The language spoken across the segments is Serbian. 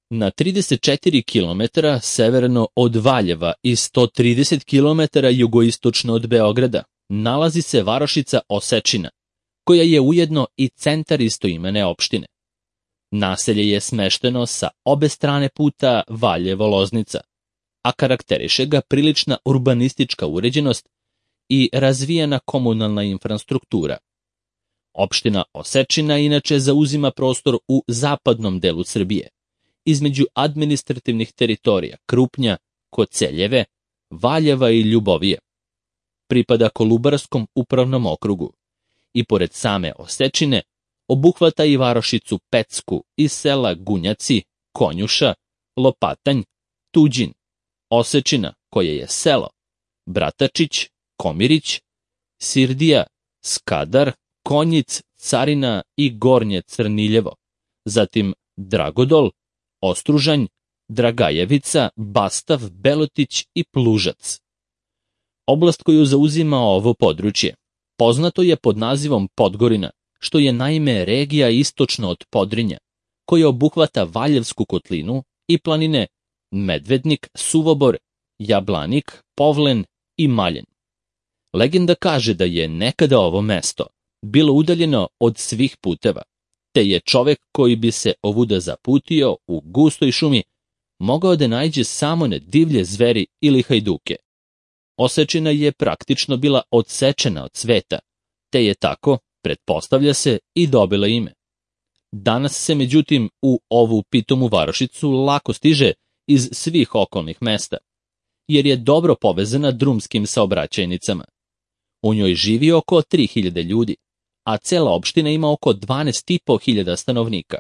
Na 34 km severno od Valjeva i 130 km jugoistočno od Beograda nalazi se varošica Osečina, koja je ujedno i centar istoimene opštine. Naselje je smešteno sa obe strane puta Valjevo-Loznica, a karakteriše ga prilična urbanistička uređenost i razvijena komunalna infrastruktura. Opština Osečina inače zauzima prostor u zapadnom delu Srbije, između administrativnih teritorija Krupnja, Koceljeve, Valjeva i Ljubovije. Pripada Kolubarskom upravnom okrugu i pored same Osečine obuhvata i varošicu Pecku iz sela Gunjaci, Konjuša, Lopatanj, Tuđin, Osečina, koje je selo, Bratačić, Komirić, Sirdija, Skadar, Konjic, Carina i Gornje Crniljevo, zatim Dragodol, Ostružanj, Dragajevica, Bastav, Belotić i Plužac. Oblast koju zauzima ovo područje poznato je pod nazivom Podgorina, što je naime regija istočno od Podrinja, koja obuhvata Valjevsku kotlinu i planine Medvednik, Suvobor, Jablanik, Povlen i Maljen. Legenda kaže da je nekada ovo mesto bilo udaljeno od svih puteva, te je čovek koji bi se ovuda zaputio u gustoj šumi mogao da naiđe samo na divlje zveri ili hajduke. Osečina je praktično bila odsečena od sveta, te je tako, pretpostavlja se, i dobila ime. Danas se međutim u ovu pitomu varošicu lako stiže iz svih okolnih mesta, jer je dobro povezana drumskim saobraćajnicama. U njoj živi oko 3000 ljudi, a cela opština ima oko 12.500 stanovnika.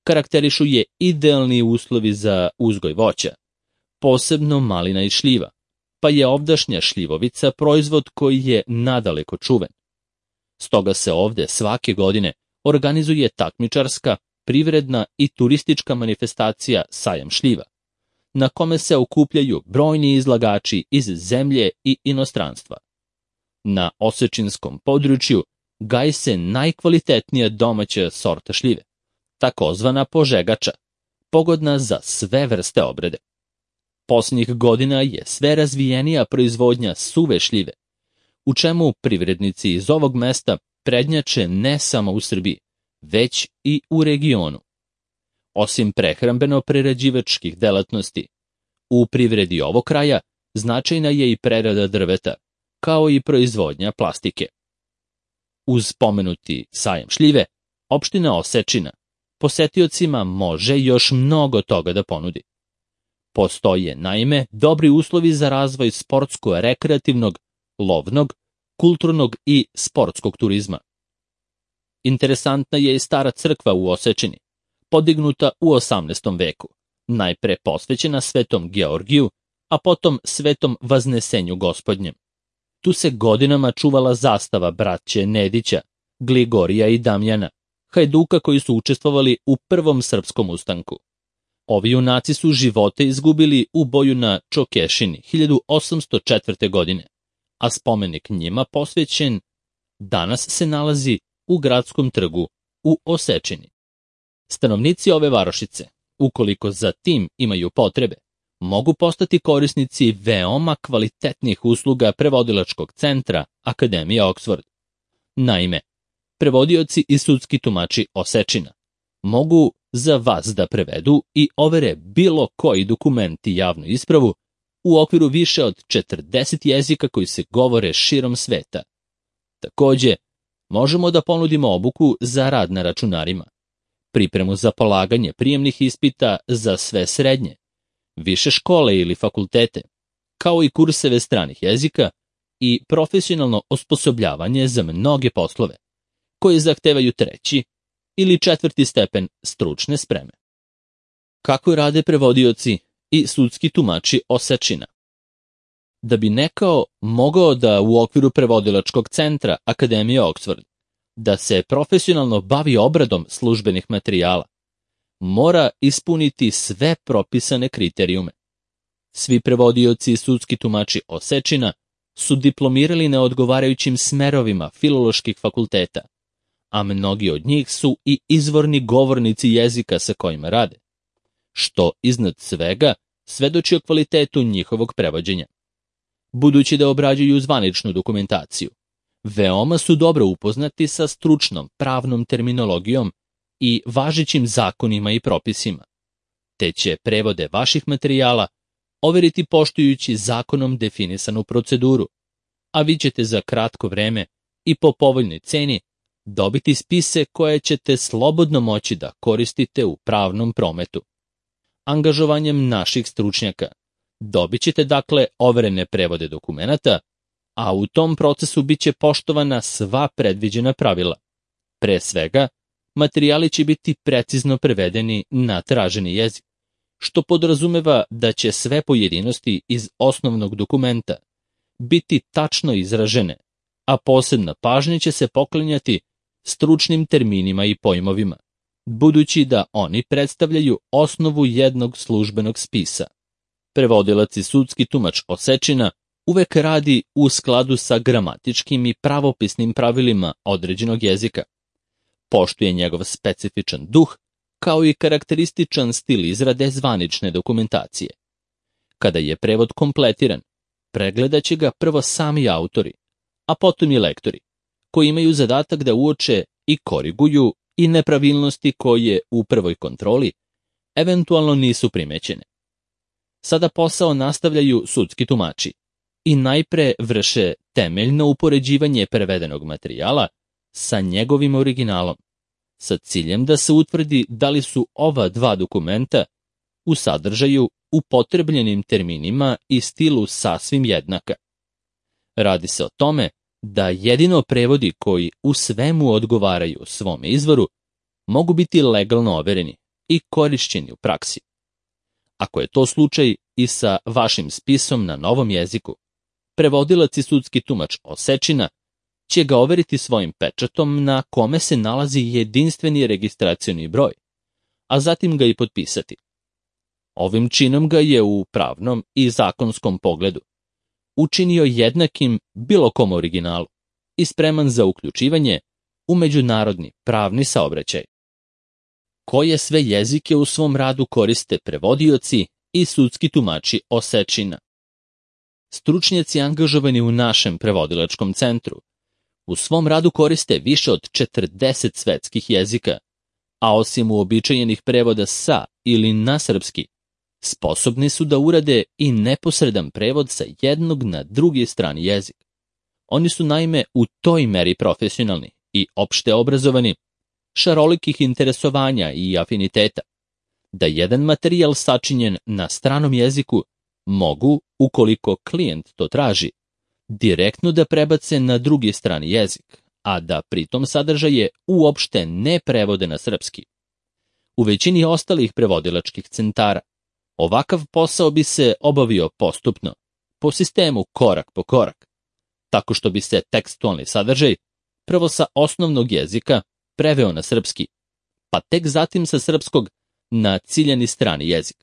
Karakterišu je idealni uslovi za uzgoj voća, posebno malina i šljiva, pa je ovdašnja šljivovica proizvod koji je nadaleko čuven. Stoga se ovde svake godine organizuje takmičarska, privredna i turistička manifestacija Sajam šljiva, na kome se okupljaju brojni izlagači iz zemlje i inostranstva. Na osečinskom području gaji se najkvalitetnija domaća sorta šljive, takozvana požegača, pogodna za sve vrste obrade. Posljednjih godina je sve razvijenija proizvodnja suve šljive, u čemu privrednici iz ovog mesta prednjače ne samo u Srbiji, već i u regionu. Osim prehrambeno-prerađivačkih delatnosti, u privredi ovog kraja značajna je i prerada drveta, kao i proizvodnja plastike. Uz pomenuti sajam šljive, opština Osečina posetiocima može još mnogo toga da ponudi. Postoje, naime, dobri uslovi za razvoj sportsko-rekreativnog, lovnog, kulturnog i sportskog turizma. Interesantna je i stara crkva u Osečini, podignuta u 18. veku, najpre posvećena Svetom Georgiju, a potom Svetom Vaznesenju Gospodnjem. Tu se godinama čuvala zastava braće Nedića, Gligorija i Damjana, hajduka koji su učestvovali u prvom srpskom ustanku. Ovi junaci su živote izgubili u boju na Čokešini 1804. godine, a spomenik njima posvećen danas se nalazi u gradskom trgu u Osečini. Stanovnici ove varošice, ukoliko za tim imaju potrebe, mogu postati korisnici veoma kvalitetnih usluga prevodilačkog centra Akademije Oxford. Naime, prevodioci i sudski tumači Osečina mogu za vas da prevedu i overe bilo koji dokument i javnu ispravu u okviru više od 40 jezika koji se govore širom sveta. Takođe, možemo da ponudimo obuku za rad na računarima, pripremu za polaganje prijemnih ispita za sve srednje, više škole ili fakultete, kao i kurseve stranih jezika i profesionalno osposobljavanje za mnoge poslove, koji zahtevaju 3. ili 4. stepen stručne spreme. Kako rade prevodioci i sudski tumači Osečina? Da bi neko mogao da u okviru prevodilačkog centra Akademije Oxford da se profesionalno bavi obradom službenih materijala, mora ispuniti sve propisane kriterijume. Svi prevodioci i sudski tumači Osečina su diplomirali na odgovarajućim smerovima filoloških fakulteta, a mnogi od njih su i izvorni govornici jezika sa kojima rade. što iznad svega svedoči o kvalitetu njihovog prevođenja. Budući da obrađuju zvaničnu dokumentaciju, veoma su dobro upoznati sa stručnom pravnom terminologijom i važećim zakonima i propisima, te će prevode vaših materijala overiti poštujući zakonom definisanu proceduru, a vi ćete za kratko vreme i po povoljnoj ceni dobiti spise koje ćete slobodno moći da koristite u pravnom prometu. Angažovanjem naših stručnjaka dobit ćete dakle overene prevode dokumenata, a u tom procesu bit će poštovana sva predviđena pravila. Pre svega, materijali će biti precizno prevedeni na traženi jezik, što podrazumeva da će sve pojedinosti iz osnovnog dokumenta biti tačno izražene, a posebna pažnja će se poklanjati stručnim terminima i pojmovima, budući da oni predstavljaju osnovu jednog službenog spisa. Prevodilac i sudski tumač Osečina uvek radi u skladu sa gramatičkim i pravopisnim pravilima određenog jezika. Poštuje njegov specifičan duh, kao i karakterističan stil izrade zvanične dokumentacije. Kada je prevod kompletiran, pregledat će ga prvo sami autori, a potom i lektori, koji imaju zadatak da uoče i koriguju i nepravilnosti koje u prvoj kontroli eventualno nisu primećene. Sada posao nastavljaju sudski tumači i najpre vrše temeljno upoređivanje prevedenog materijala sa njegovim originalom, sa ciljem da se utvrdi da li su ova dva dokumenta u sadržaju, upotrebljenim terminima i stilu sasvim jednaka. Radi se o tome da jedino prevodi koji u svemu odgovaraju svome izvoru mogu biti legalno overeni i korišćeni u praksi. Ako je to slučaj i sa vašim spisom na novom jeziku, prevodilac i sudski tumač Osečina će ga overiti svojim pečatom na kome se nalazi jedinstveni registracioni broj, a zatim ga i potpisati. Ovim činom ga je u pravnom i zakonskom pogledu učinio jednakim bilo kom originalu i spreman za uključivanje u međunarodni pravni saobraćaj. Koje sve jezike u svom radu koriste prevodioci i sudski tumači Osečina? Stručnjaci angažovani u našem prevodilačkom centru u svom radu koriste više od 40 svetskih jezika, a osim uobičajenih prevoda sa ili na srpski, sposobni su da urade i neposredan prevod sa jednog na drugi strani jezik. Oni su naime u toj meri profesionalni i opšte obrazovani, šarolikih interesovanja i afiniteta, da jedan materijal sačinjen na stranom jeziku mogu, ukoliko klijent to traži, direktno da prebace na drugi strani jezik, a da pritom sadržaje uopšte ne prevode na srpski. U većini ostalih prevodilačkih centara ovakav posao bi se obavio postupno, po sistemu korak po korak, tako što bi se tekstualni sadržaj prvo sa osnovnog jezika preveo na srpski, pa tek zatim sa srpskog na ciljani strani jezik.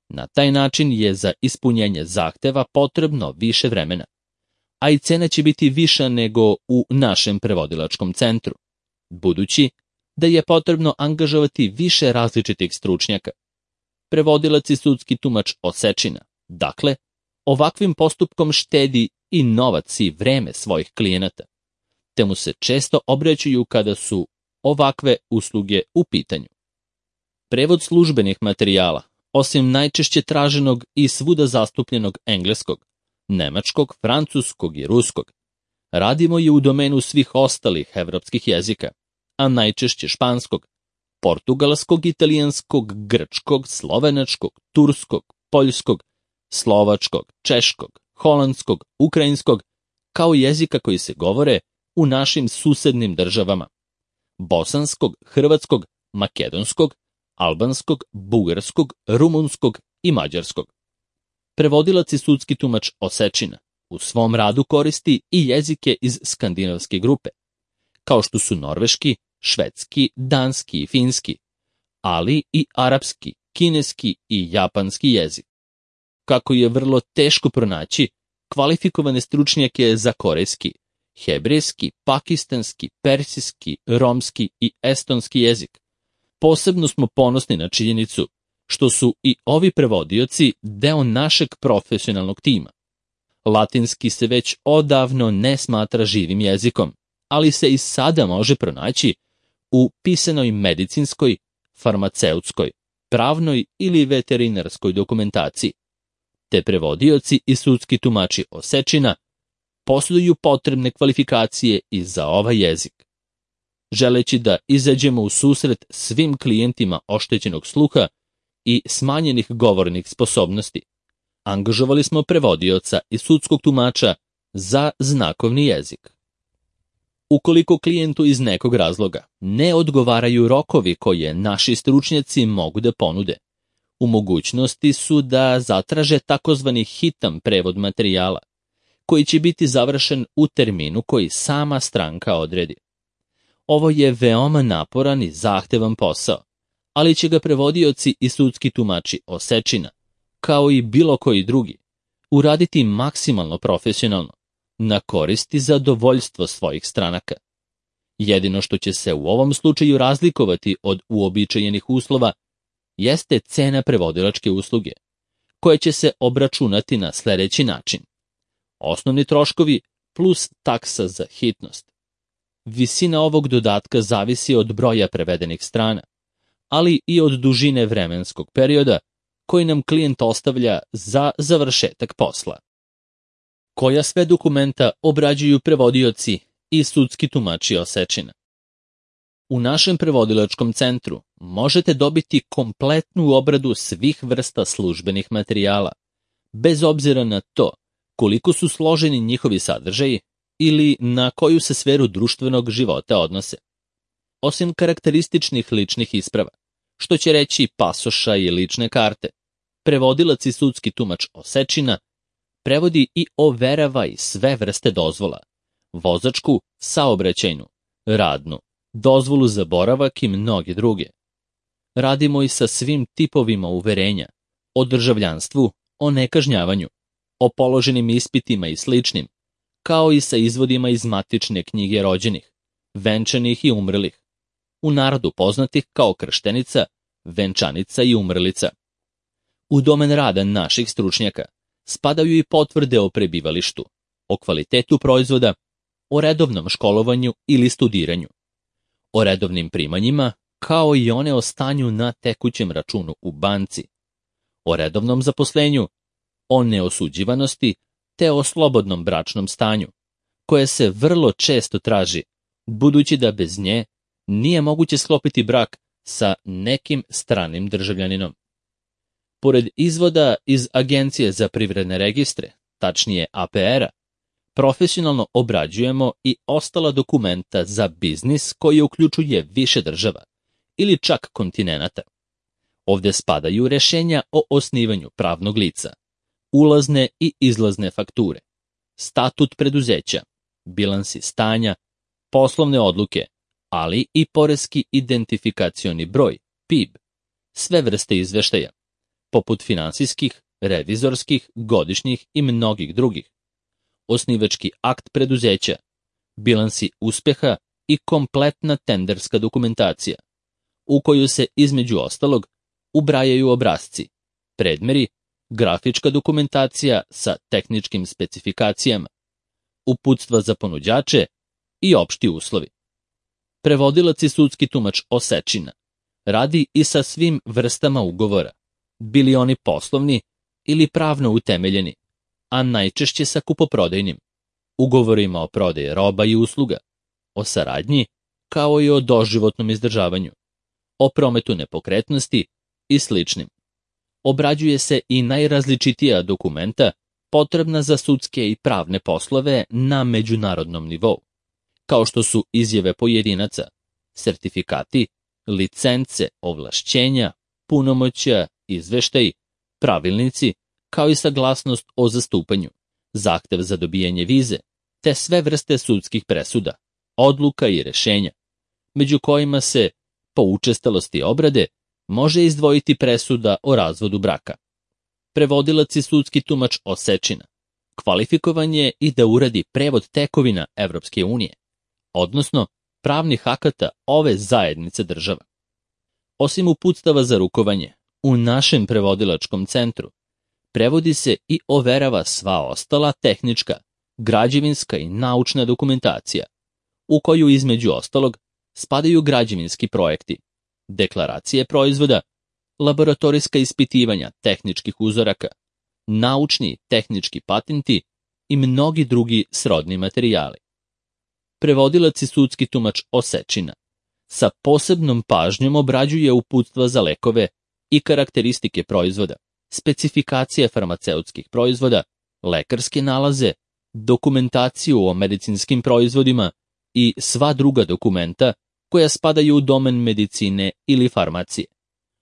Na taj način je za ispunjenje zahteva potrebno više vremena, a i cena će biti viša nego u našem prevodilačkom centru, budući da je potrebno angažovati više različitih stručnjaka. Prevodilac i sudski tumač Osečina, dakle, ovakvim postupkom štedi i novac i vreme svojih klijenata, te mu se često obraćaju kada su ovakve usluge u pitanju. Prevod službenih materijala, osim najčešće traženog i svuda zastupljenog engleskog, nemačkog, francuskog i ruskog, radimo i u domenu svih ostalih evropskih jezika, a najčešće španskog, portugalskog, italijanskog, grčkog, slovenačkog, turskog, poljskog, slovačkog, češkog, holandskog, ukrajinskog, kao jezika koji se govore u našim susednim državama, bosanskog, hrvatskog, makedonskog, albanskog, bugarskog, rumunskog i mađarskog. Prevodilac i sudski tumač Osečina u svom radu koristi i jezike iz skandinavske grupe, kao što su norveški, švedski, danski i finski, ali i arapski, kineski i japanski jezik. Kako je vrlo teško pronaći kvalifikovane stručnjake za korejski, hebrejski, pakistanski, persijski, romski i estonski jezik, posebno smo ponosni na činjenicu što su i ovi prevodioci deo našeg profesionalnog tima. Latinski se već odavno ne smatra živim jezikom, ali se i sada može pronaći u pisanoj medicinskoj, farmaceutskoj, pravnoj ili veterinarskoj dokumentaciji. Te prevodioci i sudski tumači osečina posjeduju potrebne kvalifikacije i za ovaj jezik. Želeći da izađemo u susret svim klijentima oštećenog sluha i smanjenih govornih sposobnosti, angažovali smo prevodioca i sudskog tumača za znakovni jezik. Ukoliko klijentu iz nekog razloga ne odgovaraju rokovi koje naši stručnjaci mogu da ponude, u mogućnosti su da zatraže takozvani hitan prevod materijala, koji će biti završen u terminu koji sama stranka odredi. Ovo je veoma naporan i zahtevan posao, ali će ga prevodioci i sudski tumači osečina, kao i bilo koji drugi, uraditi maksimalno profesionalno, na korist i zadovoljstvo svojih stranaka. Jedino što će se u ovom slučaju razlikovati od uobičajenih uslova jeste cena prevodilačke usluge, koja će se obračunati na sledeći način. Osnovni troškovi plus taksa za hitnost. Visina ovog dodatka zavisi od broja prevedenih strana, ali i od dužine vremenskog perioda koji nam klijent ostavlja za završetak posla. Koja sve dokumenta obrađuju prevodioci i sudski tumači osečina? U našem prevodilačkom centru možete dobiti kompletnu obradu svih vrsta službenih materijala, bez obzira na to koliko su složeni njihovi sadržaji ili na koju se sferu društvenog života odnose. Osim karakterističnih ličnih isprava, što će reći pasoša i lične karte, prevodilac i sudski tumač osečina prevodi i overava i sve vrste dozvola, vozačku, saobraćajnu, radnu, dozvolu za boravak i mnoge druge. Radimo i sa svim tipovima uverenja, o državljanstvu, o nekažnjavanju, o položenim ispitima i sličnim, kao i sa izvodima iz matične knjige rođenih, venčanih i umrlih, u narodu poznatih kao krštenica, venčanica i umrlica. U domen rada naših stručnjaka spadaju i potvrde o prebivalištu, o kvalitetu proizvoda, o redovnom školovanju ili studiranju, o redovnim primanjima, kao i one o stanju na tekućem računu u banci, o redovnom zaposlenju, o neosuđivanosti te o slobodnom bračnom stanju, koje se vrlo često traži, budući da bez nje nije moguće sklopiti brak sa nekim stranim državljaninom. Pored izvoda iz Agencije za privredne registre, tačnije APR-a, profesionalno obrađujemo i ostala dokumenta za biznis koji uključuje više država ili čak kontinenata. Ovde spadaju rešenja o osnivanju pravnog lica, ulazne i izlazne fakture, statut preduzeća, bilansi stanja, poslovne odluke, ali i poreski identifikacioni broj, PIB, sve vrste izveštaja, poput finansijskih, revizorskih, godišnjih i mnogih drugih, osnivački akt preduzeća, bilansi uspeha i kompletna tenderska dokumentacija, u koju se između ostalog ubrajaju obrasci, predmeri, grafička dokumentacija sa tehničkim specifikacijama, uputstva za ponuđače i opšti uslovi. Prevodilac i sudski tumač osečina radi i sa svim vrstama ugovora, bili oni poslovni ili pravno utemeljeni, a najčešće sa kupoprodajnim, ugovorima o prodaji roba i usluga, o saradnji, kao i o doživotnom izdržavanju, o prometu nepokretnosti i sličnim. Obrađuje se i najrazličitija dokumenta potrebna za sudske i pravne poslove na međunarodnom nivou, kao što su izjave pojedinaca, sertifikati, licence, ovlašćenja, punomoćja, izveštaji, pravilnici, kao i saglasnost o zastupanju, zahtev za dobijanje vize, te sve vrste sudskih presuda, odluka i rešenja, među kojima se, po učestalosti obrade, može izdvojiti presuda o razvodu braka. Prevodilac i sudski tumač osečina kvalifikovan je i da uradi prevod tekovina Evropske unije, odnosno pravnih akata ove zajednice država. Osim uputstava za rukovanje, U našem prevodilačkom centru prevodi se i overava sva ostala tehnička, građevinska i naučna dokumentacija, u koju između ostalog spadaju građevinski projekti, deklaracije proizvoda, laboratorijska ispitivanja tehničkih uzoraka, naučni tehnički patenti i mnogi drugi srodni materijali. Prevodilac i sudski tumač Osečina sa posebnom pažnjom obrađuje uputstva za lekove i karakteristike proizvoda, specifikacije farmaceutskih proizvoda, lekarske nalaze, dokumentaciju o medicinskim proizvodima i sva druga dokumenta koja spadaju u domen medicine ili farmacije,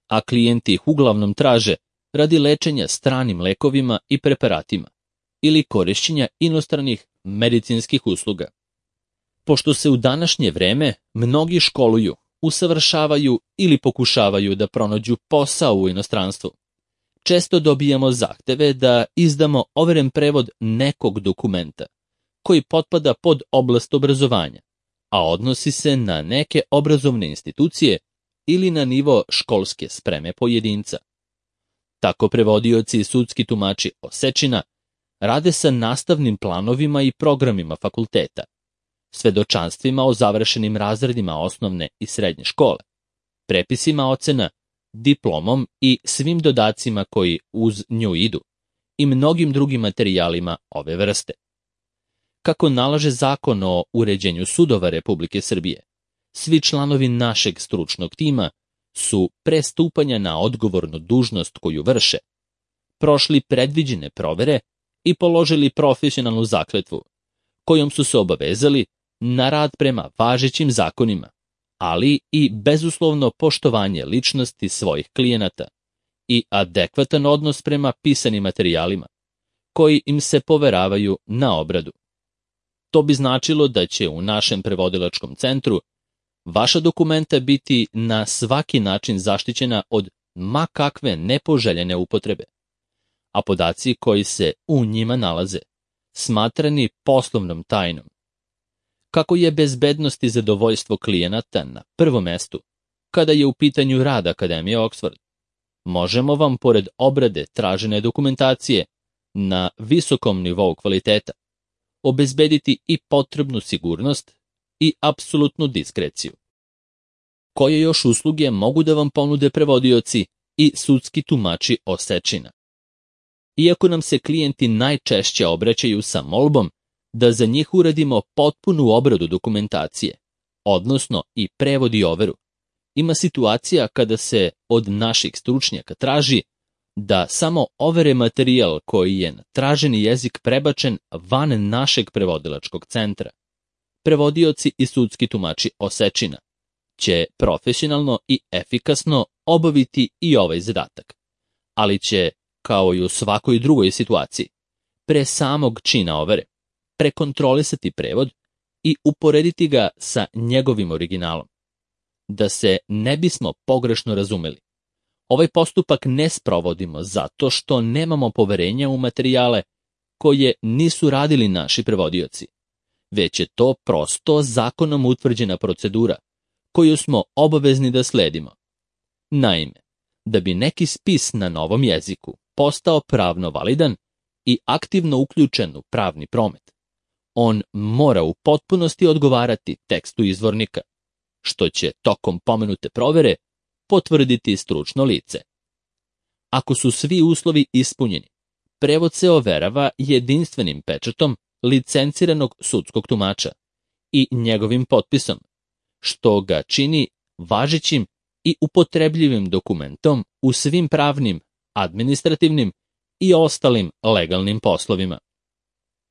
a klijenti ih uglavnom traže radi lečenja stranim lekovima i preparatima ili korišćenja inostranih medicinskih usluga. Pošto se u današnje vreme mnogi školuju, usavršavaju ili pokušavaju da pronađu posao u inostranstvu, često dobijamo zahteve da izdamo overen prevod nekog dokumenta koji potpada pod oblast obrazovanja, a odnosi se na neke obrazovne institucije ili na nivo školske spreme pojedinca. Tako prevodioci i sudski tumači Osečina rade sa nastavnim planovima i programima fakulteta, svedočanstvima o završenim razredima osnovne i srednje škole, prepisima ocena, diplomom i svim dodacima koji uz nju idu i mnogim drugim materijalima ove vrste. Kako nalaže Zakon o uređenju sudova Republike Srbije, svi članovi našeg stručnog tima su pre stupanja na odgovornu dužnost koju vrše, prošli predviđene provere i položili profesionalnu zakletvu, kojom su se obavezali na rad prema važećim zakonima, ali i bezuslovno poštovanje ličnosti svojih klijenata i adekvatan odnos prema pisanim materijalima, koji im se poveravaju na obradu. To bi značilo da će u našem prevodilačkom centru vaša dokumenta biti na svaki način zaštićena od ma kakve nepoželjene upotrebe, a podaci koji se u njima nalaze smatrani poslovnom tajnom. Kako je bezbednost i zadovoljstvo klijenata na prvom mestu kada je u pitanju rad Akademije Oxford, možemo vam pored obrade tražene dokumentacije na visokom nivou kvaliteta obezbediti i potrebnu sigurnost i apsolutnu diskreciju. Koje još usluge mogu da vam ponude prevodioci i sudski tumači Osečina? Iako nam se klijenti najčešće obraćaju sa molbom da za njih uradimo potpunu obradu dokumentacije, odnosno i prevod i overu, ima situacija kada se od naših stručnjaka traži da samo overe materijal koji je na traženi jezik prebačen van našeg prevodilačkog centra. Prevodioci i sudski tumači Osečina će profesionalno i efikasno obaviti i ovaj zadatak, ali će, kao i u svakoj drugoj situaciji, pre samog čina overe, prekontrolisati prevod i uporediti ga sa njegovim originalom. Da se ne bismo pogrešno razumeli, ovaj postupak ne sprovodimo zato što nemamo poverenja u materijale koje nisu radili naši prevodioci, već je to prosto zakonom utvrđena procedura koju smo obavezni da sledimo. Naime, da bi neki spis na novom jeziku postao pravno validan i aktivno uključen u pravni promet, on mora u potpunosti odgovarati tekstu izvornika, što će tokom pomenute provere potvrditi stručno lice. Ako su svi uslovi ispunjeni, prevod se overava jedinstvenim pečatom licenciranog sudskog tumača i njegovim potpisom, što ga čini važećim i upotrebljivim dokumentom u svim pravnim, administrativnim i ostalim legalnim poslovima.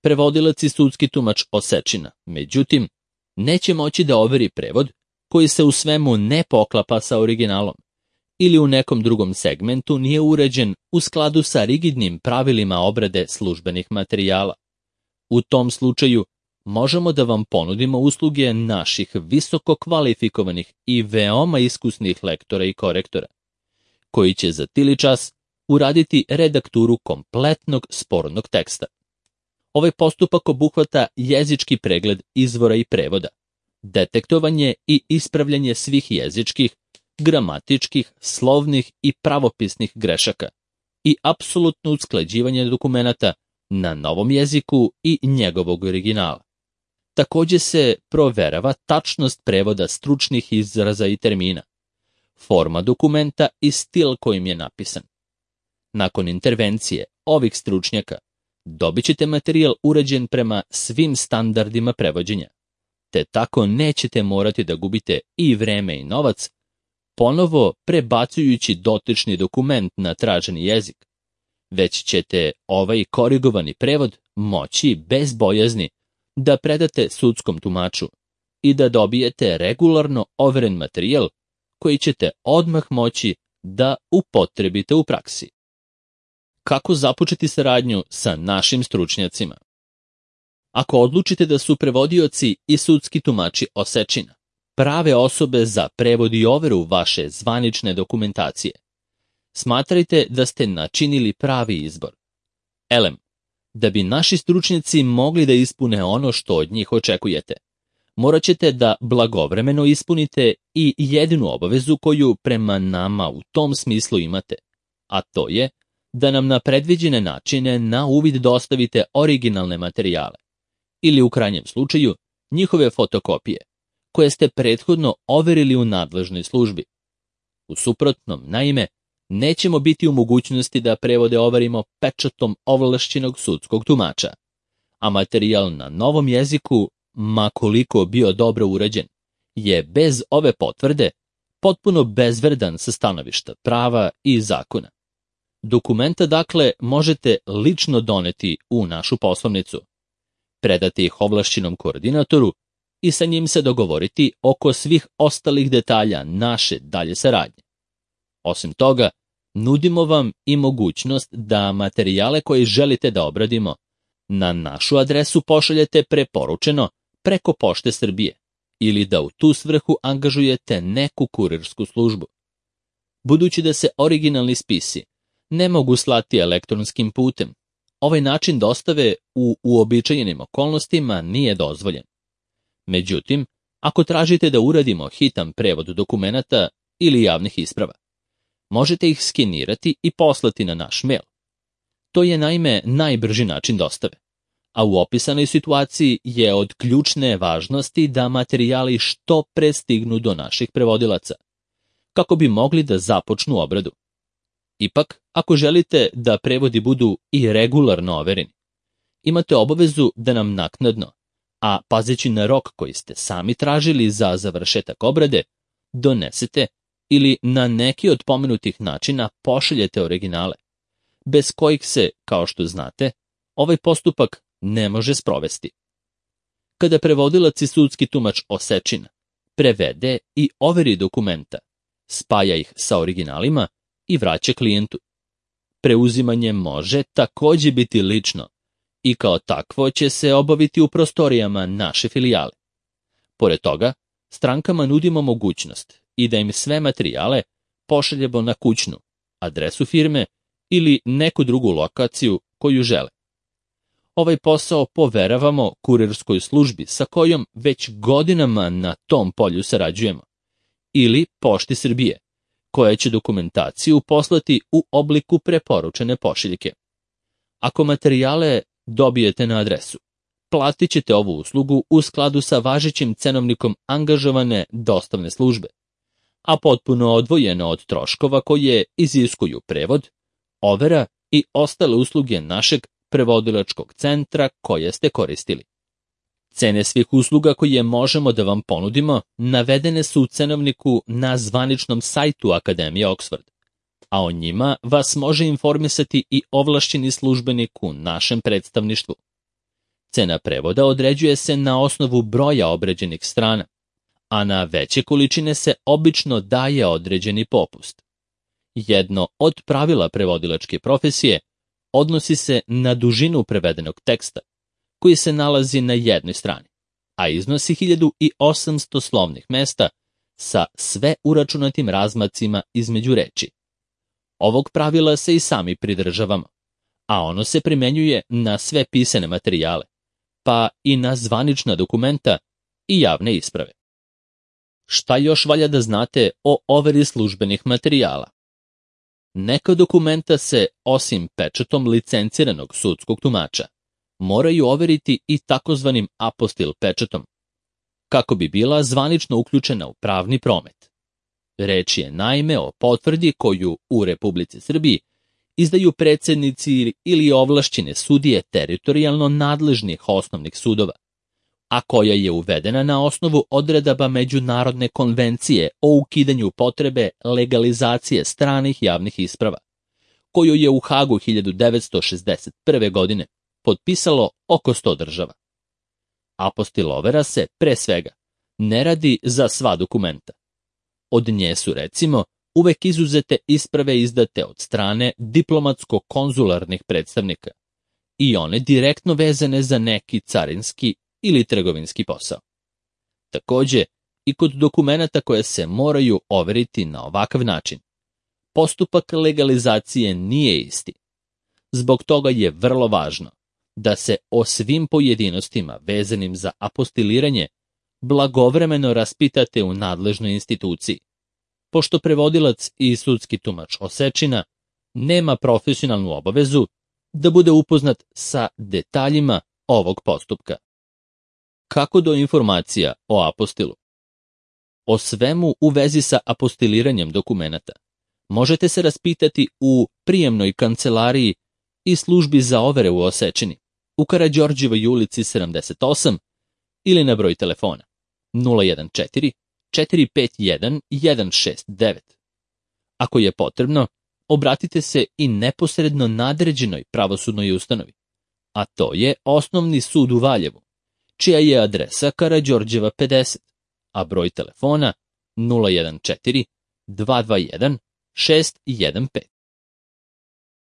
Prevodilac i sudski tumač Osečina, međutim, neće moći da overi prevod koji se u svemu ne poklapa sa originalom ili u nekom drugom segmentu nije uređen u skladu sa rigidnim pravilima obrade službenih materijala. U tom slučaju možemo da vam ponudimo usluge naših visoko kvalifikovanih i veoma iskusnih lektora i korektora, koji će za tili čas uraditi redakturu kompletnog spornog teksta. Ovaj postupak obuhvata jezički pregled izvora i prevoda, detektovanje i ispravljanje svih jezičkih, gramatičkih, slovnih i pravopisnih grešaka i apsolutno usklađivanje dokumenata na novom jeziku i njegovog originala. Takođe se proverava tačnost prevoda stručnih izraza i termina, forma dokumenta i stil kojim je napisan. Nakon intervencije ovih stručnjaka dobit ćete materijal urađen prema svim standardima prevođenja, te tako nećete morati da gubite i vreme i novac, ponovo prebacujući dotični dokument na traženi jezik, već ćete ovaj korigovani prevod moći bez bojazni da predate sudskom tumaču i da dobijete regularno overen materijal koji ćete odmah moći da upotrebite u praksi. Kako započeti saradnju sa našim stručnjacima? Ako odlučite da su prevodioci i sudski tumači Osečina prave osobe za prevod i overu vaše zvanične dokumentacije, smatrajte da ste načinili pravi izbor. Elem, da bi naši stručnjaci mogli da ispune ono što od njih očekujete, morat ćete da blagovremeno ispunite i jedinu obavezu koju prema nama u tom smislu imate, a to je da nam na predviđene načine na uvid dostavite originalne materijale, ili u krajnjem slučaju njihove fotokopije, koje ste prethodno overili u nadležnoj službi. U suprotnom, naime, nećemo biti u mogućnosti da prevode overimo pečatom ovlašćenog sudskog tumača, a materijal na novom jeziku, ma koliko bio dobro urađen, je bez ove potvrde potpuno bezvredan sa stanovišta prava i zakona. Dokumenta, dakle, možete lično doneti u našu poslovnicu, predati ih ovlašćenom koordinatoru i sa njim se dogovoriti oko svih ostalih detalja naše dalje saradnje. Osim toga, nudimo vam i mogućnost da materijale koje želite da obradimo na našu adresu pošaljete preporučeno preko Pošte Srbije ili da u tu svrhu angažujete neku kurirsku službu. Budući da se originalni spisi ne mogu slati elektronskim putem, ovaj način dostave u uobičajenim okolnostima nije dozvoljen. Međutim, ako tražite da uradimo hitan prevod dokumenata ili javnih isprava, možete ih skenirati i poslati na naš mail. To je naime najbrži način dostave, a u opisanoj situaciji je od ključne važnosti da materijali što pre stignu do naših prevodilaca, kako bi mogli da započnu obradu. Ipak, ako želite da prevodi budu i regularno overeni, imate obavezu da nam naknadno, a pazeći na rok koji ste sami tražili za završetak obrade, donesete ili na neki od pomenutih načina pošaljete originale, bez kojih se, kao što znate, ovaj postupak ne može sprovesti. Kada prevodilac i sudski tumač Osečina prevede i overi dokumenta, spaja ih sa originalima i vraća klijentu. Preuzimanje može takođe biti lično i kao takvo će se obaviti u prostorijama naše filijale. Pored toga, strankama nudimo mogućnost i da im sve materijale pošaljemo na kućnu, adresu firme ili neku drugu lokaciju koju žele. Ovaj posao poveravamo kurirskoj službi sa kojom već godinama na tom polju sarađujemo, ili Pošti Srbije, koja će dokumentaciju poslati u obliku preporučene pošiljke. Ako materijale dobijete na adresu, platit ćete ovu uslugu u skladu sa važećim cenovnikom angažovane dostavne službe, a potpuno odvojeno od troškova koje iziskuju prevod, overa i ostale usluge našeg prevodilačkog centra koje ste koristili. Cene svih usluga koje možemo da vam ponudimo navedene su u cenovniku na zvaničnom sajtu Akademije Oxford, a o njima vas može informisati i ovlašćeni službenik u našem predstavništvu. Cena prevoda određuje se na osnovu broja obrađenih strana, a na veće količine se obično daje određeni popust. Jedno od pravila prevodilačke profesije odnosi se na dužinu prevedenog teksta, koji se nalazi na jednoj strani, a iznosi 1800 slovnih mesta sa sve uračunatim razmacima između reči. Ovog pravila se i sami pridržavamo, a ono se primenjuje na sve pisane materijale, pa i na zvanična dokumenta i javne isprave. Šta još valja da znate o overi službenih materijala? Neka dokumenta se, osim pečatom licenciranog sudskog tumača, moraju overiti i takozvanim apostil pečatom, kako bi bila zvanično uključena u pravni promet. Reč je naime o potvrdi koju u Republici Srbiji izdaju predsednici ili ovlašćene sudije teritorijalno nadležnih osnovnih sudova, a koja je uvedena na osnovu odredaba Međunarodne konvencije o ukidanju potrebe legalizacije stranih javnih isprava, koju je u Hagu 1961. godine potpisalo oko 100 država. Apostil overa se, pre svega, ne radi za sva dokumenta. Od nje su, recimo, uvek izuzete isprave izdate od strane diplomatsko-konzularnih predstavnika i one direktno vezane za neki carinski ili trgovinski posao. Takođe, i kod dokumenata koje se moraju overiti na ovakav način, postupak legalizacije nije isti. Zbog toga je vrlo važno da se o svim pojedinostima vezanim za apostiliranje blagovremeno raspitate u nadležnoj instituciji, pošto prevodilac i sudski tumač Osečina nema profesionalnu obavezu da bude upoznat sa detaljima ovog postupka. Kako do informacija o apostilu? O svemu u vezi sa apostiliranjem dokumenata možete se raspitati u prijemnoj kancelariji i službi za overe u Osečini, u Karađorđevoj ulici 78 ili na broj telefona 014 451 169. Ako je potrebno, obratite se i neposredno nadređenoj pravosudnoj ustanovi, a to je Osnovni sud u Valjevu, čija je adresa Karađorđeva 50, a broj telefona 014 221 615.